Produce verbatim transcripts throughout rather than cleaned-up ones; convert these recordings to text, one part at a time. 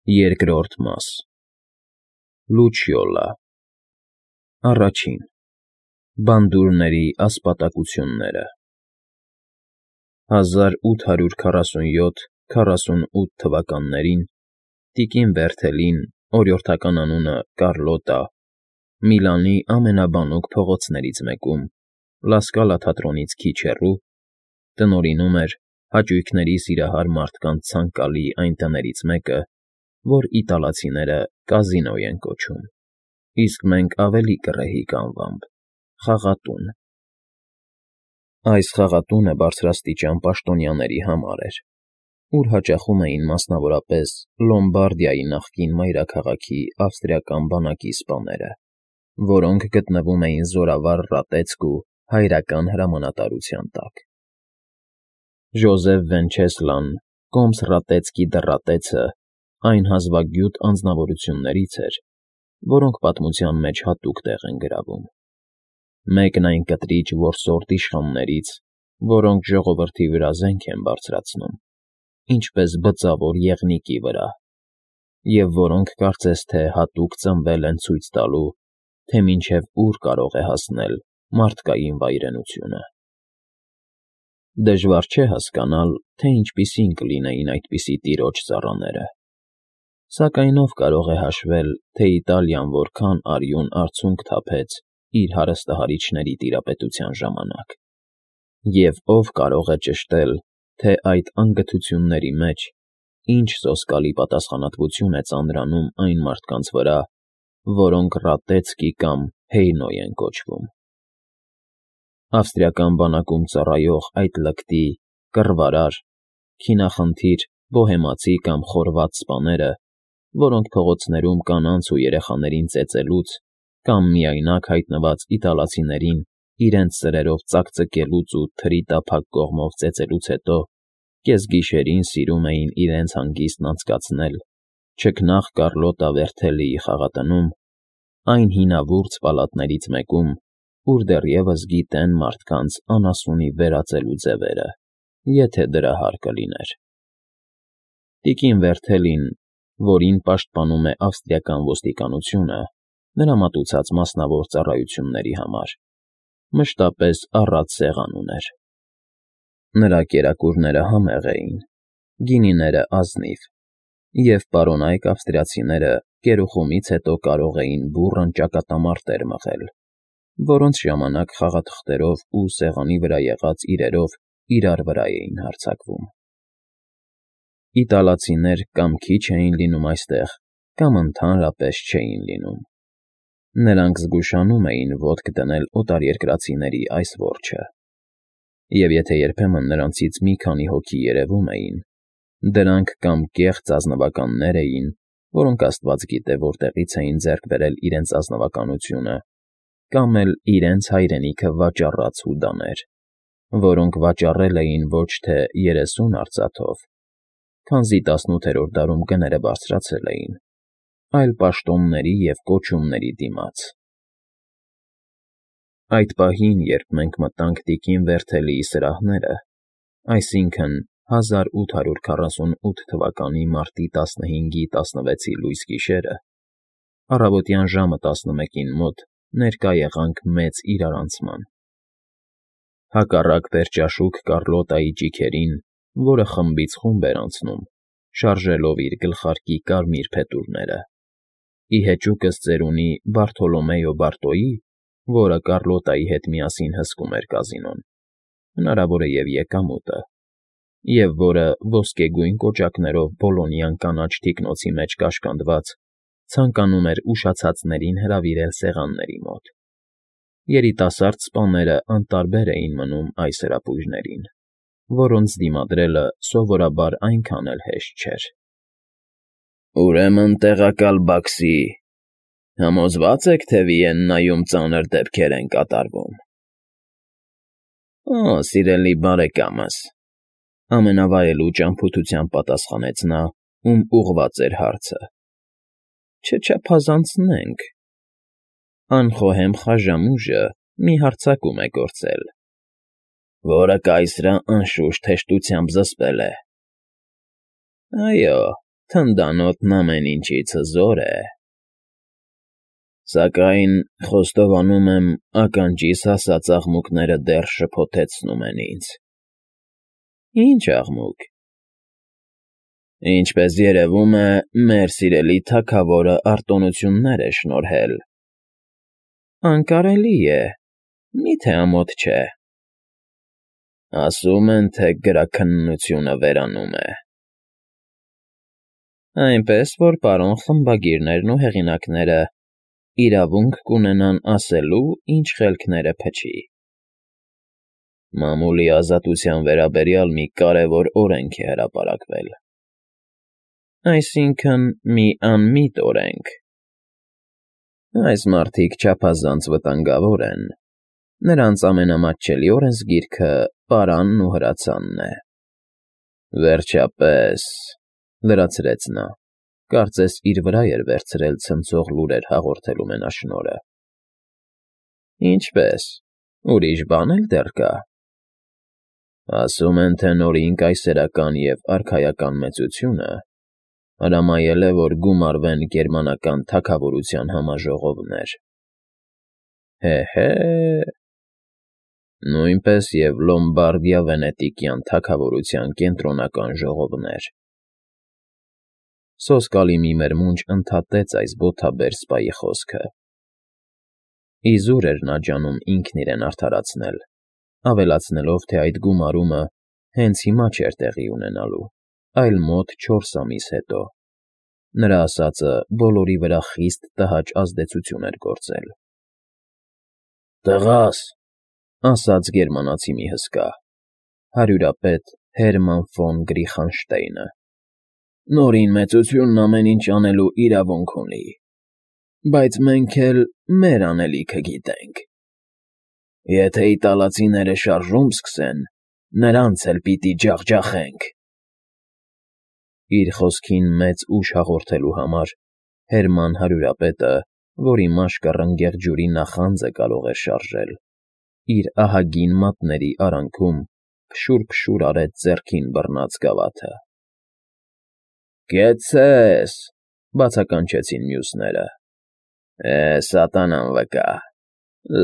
Երկրորդ մաս Լուչիոլա Առաջին Բանդուրների ասպատակությունները հազար ութ հարյուր քառասունյոթ քառասունութ թվականներին տիկին Բերթելին, օրիորդական անունը Կարլոտա, Միլանի ամենաբանուկ փողոցներից մեկում, Լասկալա թատրոնից քիչ հեռու, տնօրինում էր հաճույքների սիրահար մարդկանց ցանկալի այն տներից մեկը, որ իտալացիները կազինո են կոչում, իսկ մենք ավելի կռեհիկ անվամբ՝ խաղատուն։ Այս խաղատունը բարձրաստիճան պաշտոնյաների համար էր, ուր հաճախում էին մասնավորապես Լոմբարդիայի նախկին մայրաքաղաքի ավստրիական բանակի սպաները, որոնք գտնվում էին Զորավար Ռատեցկ ու հայրական հրամանատարության տակ։ Ժոզեֆ Վենչեսլան, կոմս Ռատեցկի դռատեցը, այն հազվագյուտ անձնավորություններից էր, որոնք պատմության մեջ հատուկ տեղ են գրավում։ Մեկն այն կտրիչ որսորդ իշխաններից, որոնք ժողովրդի վրա զենք են բարձրացնում, ինչպես բծավոր եղնիկի վրա, և որոնք կարծես թե հատուկ ծնվել են ցույց տալու, թե մինչև ուր կարող է հասնել մարդկային վայրենությունը։ Դժվար չէ հասկանալ, թե ինչպիսին կլինեին այդպիսի տիրոջ ծառաները, սակայն ով կարող է հաշվել, թե Իտալիան որքան արյուն արցունք թափեց իր հարստահարիչների տիրապետության ժամանակ, և ով կարող է ճշտել, թե այդ անգթությունների մեջ ինչ սոսկալի պատասխանատվություն է ծանրանում այն մարդկանց վրա, որոնք Ռատեցկի կամ Հեյնոյ են կոչվում։ Ավստրիական բանակում ծառայող այդ լկտի, կռվարար, քինախնդիր բոհեմացի կամ խորված սպաները, որոնք փողոցներում կանանց ու երեխաներին ծեծելուց կամ միայնակ հայտնված իտալացիներին իրենց սրերով ծակծկելուց ու թրի տափակ կողմով ծեծելուց հետո կեսգիշերին սիրում էին իրենց հանգիստն անցկացնել չքնաղ Կարլոտա Բերթելիի խաղատնում, այն հինավուրց պալատներից մեկում, ուր դեռևս գիտեն մարդկանց անասունի վերածելու ձևերը, եթե դրա հարկ լիներ։ Տիկին Բերթելին, որին պաշտպանում է ավստրիական ոստիկանությունը, նրա մատուցած մասնավոր ծառայությունների համար, մշտապես առատ սեղան ուներ։ Նրա կերակուրները համեղ էին, գինիները ազնիվ, և պարոնայք ավստրիացիները կերուխումից հետո կարող էին բուռն ճակատամարտեր մղել, որոնց ժամանակ խաղաթղթերով ու սեղանի վրա եղած իրերով իրար վրա էին հարձակվում։ Իտալացիներ կամ քիչ էին լինում այստեղ, կամ ընդհանրապես չէին լինում։ Նրանք զգուշանում էին ոտք դնել օտարերկրացիների այս որջը, և եթե երբեմն նրանցից մի քանի հոգի երևում էին, դրանք կամ կեղծ ազնվականներ էին, որոնք աստված գիտե որտեղից էին ձեռք բերել իրենց ազնվականությունը, կամ էլ իրենց հայրենիքը վաճառած հուդաներ, որոնք վաճառել էին ոչ թե երեսուն արծաթով, քանզի տասնութերորդ դարում գները բարձրացել էին, այլ պաշտոնների և կոչումների դիմաց։ Այդ պահին, երբ մենք մտանք տիկին Բերթելիի սրահները, այսինքն հազար ութ հարյուր քառասունութ թվականի մարտի տասնհինգի տասնվեցի լույս գիշերը, առավոտյան ժամը տասնմեկին մոտ ներկա եղանք մեծ իրարանցման։ Հակառակ պերճաշուք Կարլոտայի ճիգերին, որը խմբից խումբ էր անցնում, շարժելով իր գլխարկի կարմիր փետուրները, ի հեճուկս ծերունի Բարթոլոմեո Բարտոյի, որը Կարլոտայի հետ միասին հսկում էր կազինոն, հնարավոր է և եկամուտը, և որը ոսկեգույն կոճակներով Բոլոնյան կանաչ թիկնոցի մեջ կաշկանդված, ցանկանում էր ուշացածներին հրավիրել սեղանների մոտ։ Երիտասարդ սպաները անտարբեր էին մնում այս հրապույրներին, որոնց դիմադրելը սովորաբար այնքան էլ հեշտ չէր։ ֊ Ուրեմն տեղակալ Բաքսի, համոզվա՞ծ եք, թե Վիեննայում ծանր դեպքեր են կատարվում։ ֊ Օ, սիրելի բարեկամս,֊ ամենավայելուչ ճամփորդությամբ պատասխանեց նա, ում ուղղված էր հարցը,֊ չչափազանցնենք, անխոհեմ Խաժամուժը մի հարձակում է գործել, որը կայսրը, անշուշտ, հեշտությամբ զսպել է։ ֊ Այո, թնդանոթն ամեն ինչից հզոր է։ Սակայն խոստովանում եմ, ականջիս հասած աղմուկները դեռ շփոթեցնում են ինձ։ Ի՞նչ աղմուկ։ Ինչպես երևում է, մեր սիրելի թագավորը արտոնություններ է շնորհել։ Անկարելի է, մի՞թե ամոթ չէ։ Ասում են, թե գրաքննությունը վերանում է։ Այնպես որ պարոն խմբագիրներն ու հեղինակները իրավունք կունենան ասելու, ինչ խելքները փչի։ Մամուլի ազատության վերաբերյալ մի կարևոր օրենք է հրապարակվել։ Այսինքն՝ մի անմիտ օրենք։ Այս մարդիկ չափազանց վտանգավոր են։ Նրանց ամենամատչելի օրենսգիրքը պարանն ու հրացանն է։ Վերջապես, լրացրեց նա, կարծես իր վրա էր վերցրել ցնցող լուրեր հաղորդելու մենաշնորհը։ Ինչպե՞ս, ուրիշ բան էլ դեռ կա։ Ասում են, թե նորին կայսերական և արքայական մեծությունը հրամայել է, որ գումարվեն գերմանական թագավորության համաժողովներ։ Հե՛֊հե՛, նույնպես և Լոմբարդիա֊Վենետիկյան թագավորության կենտրոնական ժողովներ։ Սոսկալի մի մերմունջ ընդհատեց այս բոթաբեր սպայի խոսքը։ Իզուր էր նա ջանում ինքն իրեն արդարացնել, ավելացնելով, թե այդ գումարումը հենց հիմա չէր տեղի ունենալու, այլ մոտ չորս ամիս հետո։ Նրա ասածը բոլորի վրա խիստ տհաճ ազդեցություն էր գործել։ Տղա՛ս, ասաց գերմանացի մի հսկա, հարյուրապետ Հերման ֆոն Գրիխանշտեյնը, նորին մեծությունն ամեն ինչ անելու իրավունք ունի, բայց մենք էլ մեր անելիքը գիտենք։ Եթե իտալացիները շարժում սկսեն, նրանց էլ պիտի ջախջախենք։ Իր խոսքին մեծ ուժ հաղորդելու համար Հերման հարյուրապետը, որի մաշկը ռնգեղ ջուրի նախանձը կարող էր շարժել, իր ահագին մատների արանքում փշուր֊փշուր արեց ձեռքին բռնած գավաթը։ Կեցցե՛ս, բացականչեցին մյուսները։ Է, սատանան վկա,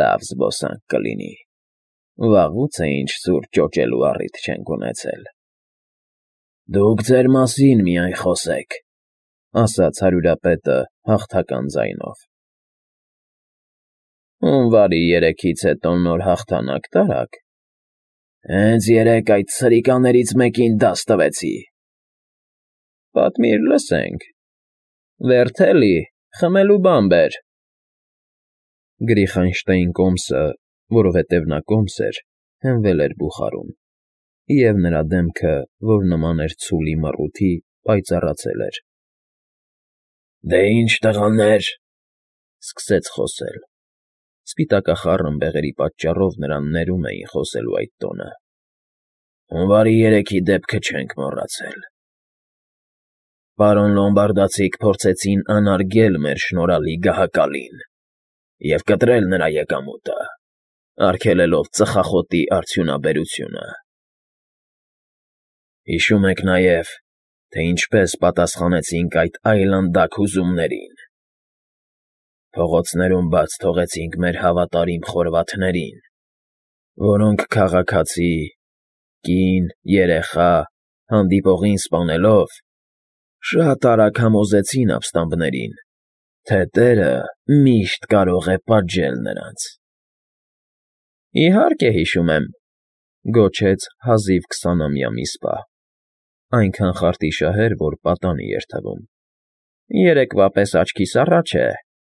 լավ զբոսանք կլինի։ Վաղուց է ինչ սուր ճոճելու առիթ չենք ունեցել։ Դուք ձեր մասին միայն խոսեք, ասաց հարյուրապետը հաղթական ձայնով։ Հունվարի երեքից հետո նոր հաղթանակ տարաք։ Հենց երեկ այդ սրիկաներից մեկին դաս տվեցի։ Պատմիր, լսենք։ Վերթելի, խմելու բան բեր։ Գրիխանշտեյն կոմսը, որովհետև նա կոմս էր, հենվել էր բուխարում, և նրա դեմքը, որ նման էր ցուլի մռութի, պայծառացել էր։ Դե ինչ, տղաներ,֊ սկսեց խոսել. սպիտակախառն բեղերի պատճառով նրան ներում էին խոսելու այդ տոնը։ Հունվարի երեքի դեպքը չենք մոռացել։ Պարոն լոմբարդացիք փորձեցին անարգել մեր շնորհալի գահակալին և կտրել նրա եկամուտը, արգելելով ծխախոտի արդյունաբերությունը։ Հիշում եք նաև, թե ինչպես պատասխանեցինք այդ այլանդակ հուզումներին։ Փողոցներում բաց թողեցինք մեր հավատարիմ խորվաթներին, որոնք քաղաքացի, կին, երեխա, հանդիպողին սպանելով, շատ արագ համոզեցին ապստամբներին, թե տերը միշտ կարող է պատժել նրանց։ Իհարկե հիշում եմ,֊ գոչեց հազիվ քսանամյա մի սպա, այնքան խարտիշահեր, որ պատանի էր թվում։ Երեկվա պես աչքիս առաջ է,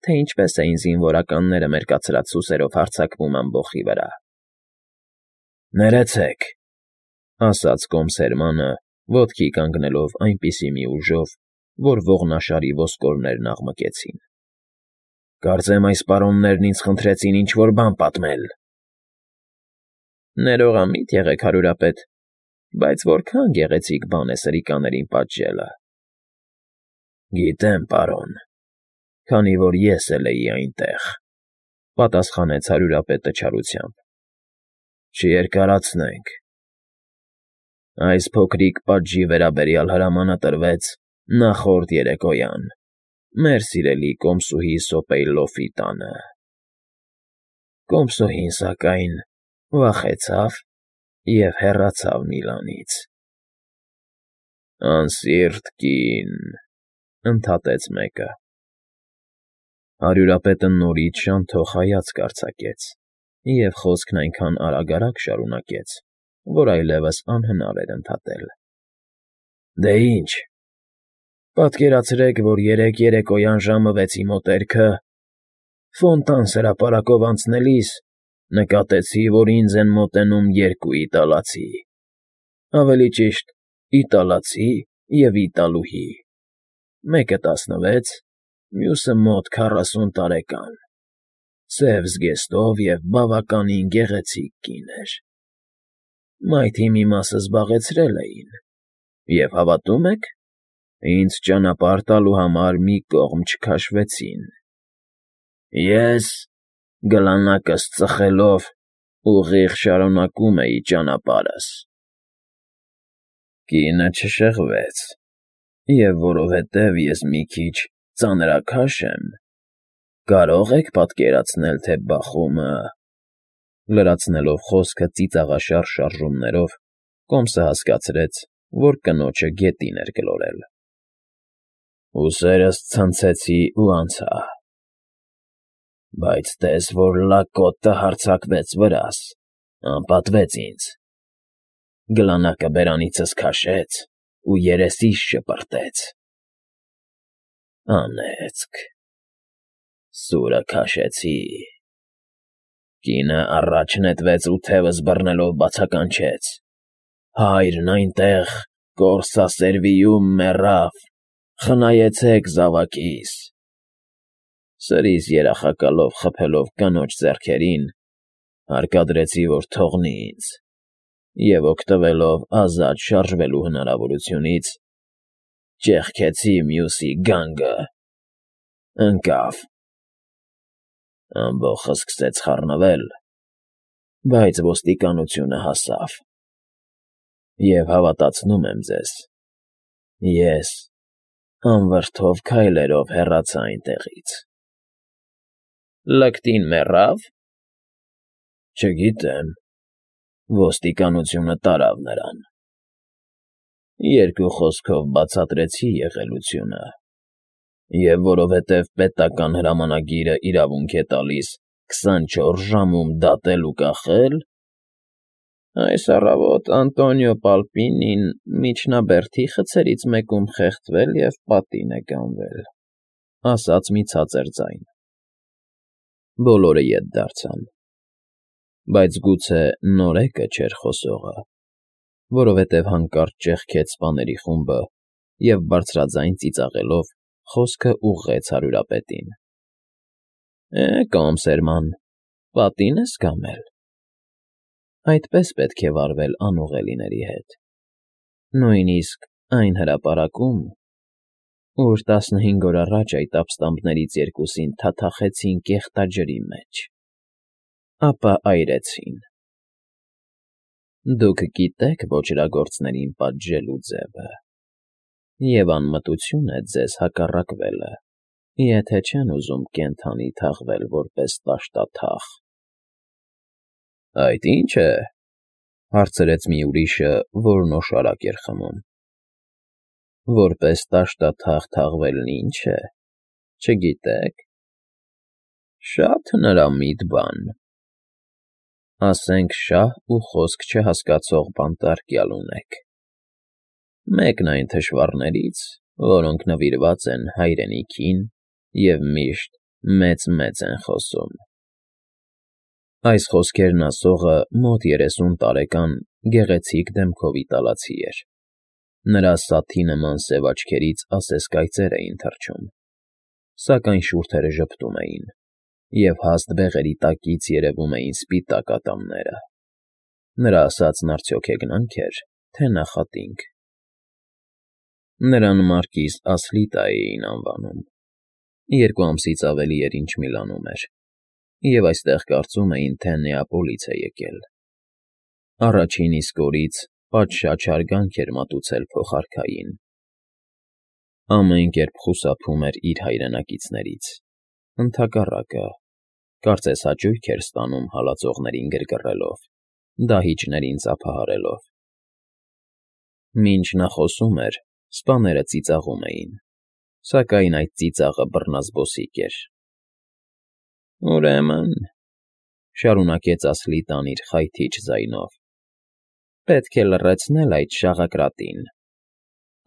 թե ինչպես էին զինվորականները մեր կացրած սուսերով հարձակվում ամբոխի վրա։ Ներեցեք,֊ ասաց կոմս Հերմանը, ոտքի կանգնելով այնպիսի մի ուժով, որ ողնաշարի ոսկորներն աղմկեցին։ Կարծեմ այս պարոններն ինձ խնդրեցին ինչ֊որ բան պատմել։ Ներողամիտ եղեք, հարյուրապետ, բայց որքա՜ն գեղեցիկ բան է սրիկաներին պատժելը։ Գիտեմ, պարոն, քանի որ ես էլ էի այնտեղ,֊ պատասխանեց հարյուրապետը չարությամբ։ Չերկարացնենք։ Այս փոքրիկ պատժի վերաբերյալ հրամանը տրվեց, նախորդ երեկոյան, մեր սիրելի կոմսուհի Սոպեյլոֆի տանը։ Կոմսուհին, սակայն, վախեցավ և հեռացավ Միլանից։ Անսիրտ կին, ընդհատեց մեկը։ Հարյուրապետը նորից շանթող հայացք արձակեց և խոսքն այնքան արագ֊արագ շարունակեց, որ այլևս անհնար էր ընդհատել. Դե ինչ, պատկերացրեք, որ երեկ երեկոյան ժամը վեցի մոտերքը, Ֆոնտան հրապարակով անցնելիս նկատեցի, որ ինձ են մոտենում երկու իտալացի, ավելի ճիշտ, իտալացի և իտալուհի, մեկը տասնվեց, մյուսը մոտ քառասուն տարեկան, սև զգեստով և բավականին գեղեցիկ կին էր. մայթի մի մասը զբաղեցրել էին և, հավատո՞ւմ եք, ինձ ճանապարհ տալու համար մի կողմ չքաշվեցին։ Ես, գլանակս ծխելով, ուղիղ շարունակում էի ճանապարհս։ Կինը չշեղվեց, և որովհետև ես մի քիչ ծանրաքաշ եմ, կարո՞ղ եք պատկերացնել, թե բախումը… Լրացնելով խոսքը ծիծաղաշար շարժումներով, կոմսը հասկացրեց, որ կնոջը գետին էր գլորել։ Ուսերս ցնցեցի ու անցա, բայց տես որ լակոտը հարձակվեց վրաս, անպատվեց ինձ, գլանակը բերանիցս քաշեց ու երեսիս շպրտեց։ Անեծք… Սուրը քաշեցի… Կինը առաջ նետվեց ու թևս բռնելով բացականչեց. հայրն այնտեղ կորսասերվիում մեռավ, խնայեցեք զավակիս… Սրիս երախակալով խփելով կնոջ ձեռքերին, հարկադրեցի, որ թողնի ինձ և, օգտվելով ազատ շարժվելու հնարավորությունից, ճեղքեցի մյուսի գանգը… Ընկավ… Ամբոխն սկսեց խառնվել, բայց ոստիկանությունը հասավ, և, հավատացնում եմ ձեզ, ես անվրդով քայլերով հեռացա այնտեղից։ Լկտին մեռա՞վ։ Չգիտեմ, ոստիկանությունը տարավ նրան։ Երկու խոսքով բացատրեցի եղելությունը, և որովհետև պետական հրամանագիրը իրավունք է տալիս քսանչորս ժամում դատել ու կախել, այս առավոտ Անտոնիո Պալպինին միջնաբերդի խցերից մեկում խեղդվել և պատին է գանվել, ասաց մի ցածր ձայն։ Բոլորը ետ դարձան, բայց գուցե նորեկը չէր խոսողը, որովհետև հանկարծ ճեղքեց սպաների խումբը և բարձրաձայն ծիծաղելով խոսքը ուղղեց հարյուրապետին. Է, կոմսերման, պատի՞ն ես կամել… Այդպես պետք է վարվել անուղելիների հետ, նույնիսկ այն հրապարակում, ուր տասնհինգ օր առաջ այդ ապստամբներից երկուսին թաթախեցին կեղտաջրի մեջ, ապա այրեցին… Դուք գիտեք ոճրագործներին պատժելու ձևը, և անմտություն է ձեզ հակառակվելը, եթե չեն ուզում կենդանի թաղվել որպես տաշտաթաղ։ Այդ ի՞նչ է,֊ հարցրեց մի ուրիշը, որն օշարակ էր խմում։ Որպես տաշտաթաղ թաղվելն ի՞նչ է, չգիտե՞ք։ Շատ հնարամիտ բան… Ասենք շահ ու խոսք չհասկացող բանտարկյալ ունեք… Մեկն այն թշվառներից, որոնք նվիրված են հայրենիքին և միշտ մեծ֊մեծ են խոսում… Այս խոսքերն ասողը մոտ երեսուն տարեկան գեղեցիկ դեմքով իտալացի էր, նրա սաթի նման սև աչքերից ասես կայծեր էին թռչում, սակայն շուրթերը ժպտում էին, և հաստ բեղերի տակից երևում էին սպիտակ ատամները… Նրա ասածն արդյոք հեգնա՞նք էր, թե նախատինք… Նրան մարկիս Ասլիտա էին անվանում, երկու ամսից ավելի էր, ինչ Միլանում էր, և այստեղ կարծում էին, թե Նեապոլից է եկել… Առաջին իսկ օրից պատշաճ հարգանք էր մատուցել փոխարքային։ Ամեն կերպ խուսափում էր իր հայրենակիցներից, ընդհակառակը, կարծես հաճույք էր ստանում հալածողներին գրգռելով, դահիճներին ծափահարելով։ Մինչ նա խոսում էր, սպաները ծիծաղում էին, սակայն այդ ծիծաղը բռնազբոսիկ էր։ «Ուրեմն,֊ շարունակեց Ասլիտան իր խայթիչ ձայնով,֊ պետք է լռեցնել այդ շաղակրատին,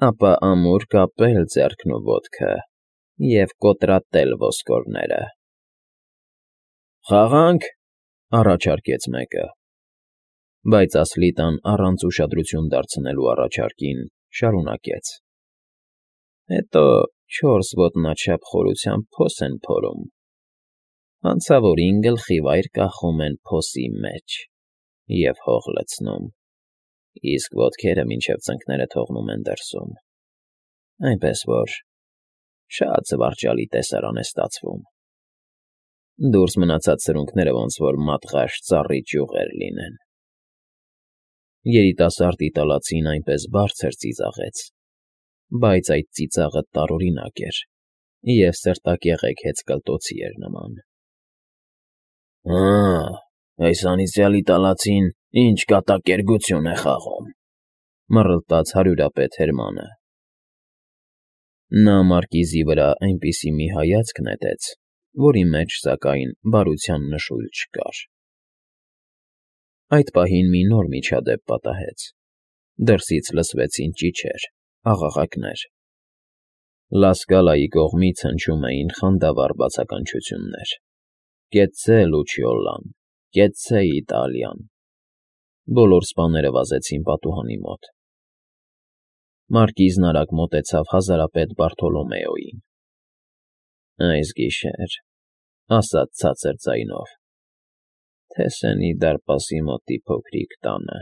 ապա ամուր կապել ձեռքն ու ոտքը և կոտրատել ոսկորները»։ «Խաղա՞նք,֊ առաջարկեց մեկը։ Բայց Ասլիտան առանց ուշադրություն դարձնելու առաջարկին շարունակեց. «Հետո չորս ոտնաչափ խորությամբ փոս են փորում, հանցավորին գլխի վայր կախում են փոսի մեջ և հող լցնում, իսկ ոտքերը մինչև ծնկները թողնում են դրսում, այնպես որ շատ զվարճալի տեսարան է ստացվում։ Դուրս մնացած սրունքները ոնց որ մատղաշ ծառի ճյուղեր լինեն»։ Երիտասարդ իտալացին այնպես բարձր ծիծաղեց, բայց այդ ծիծաղը տարօրինակ էր և սրտակեղեք հեծկլտոցի էր նման։ «Հը՜, այս անիծյալ իտալացին ինչ կատակերգություն է խաղում,֊ մռլտաց հարյուրապետ Հերմանը։ Նա մարկիզի վրա այնպիսի մի հայացք նետեց, որի մեջ, սակայն, բարության նշույլ չկար։ Այդ պահին մի նոր միջադեպ պատահեց. դրսից լսվեցին ճիչեր, աղաղակներ։ Լասկալայի կողմից հնչում էին խանդավառ բացականչություններ. «Կեցցե, Լուչիոլլան, կեցցե, Իտալիան»։ Բոլոր սպաները վազեցին պատուհանի մոտ։ Մարկիզն արագ մոտեցավ հազարապետ Բարթոլոմեոյին։ «Այս գիշեր,֊ ասաց ցածր ձայնով,֊ Թեսենի դարպասի մոտի փոքրիկ տանը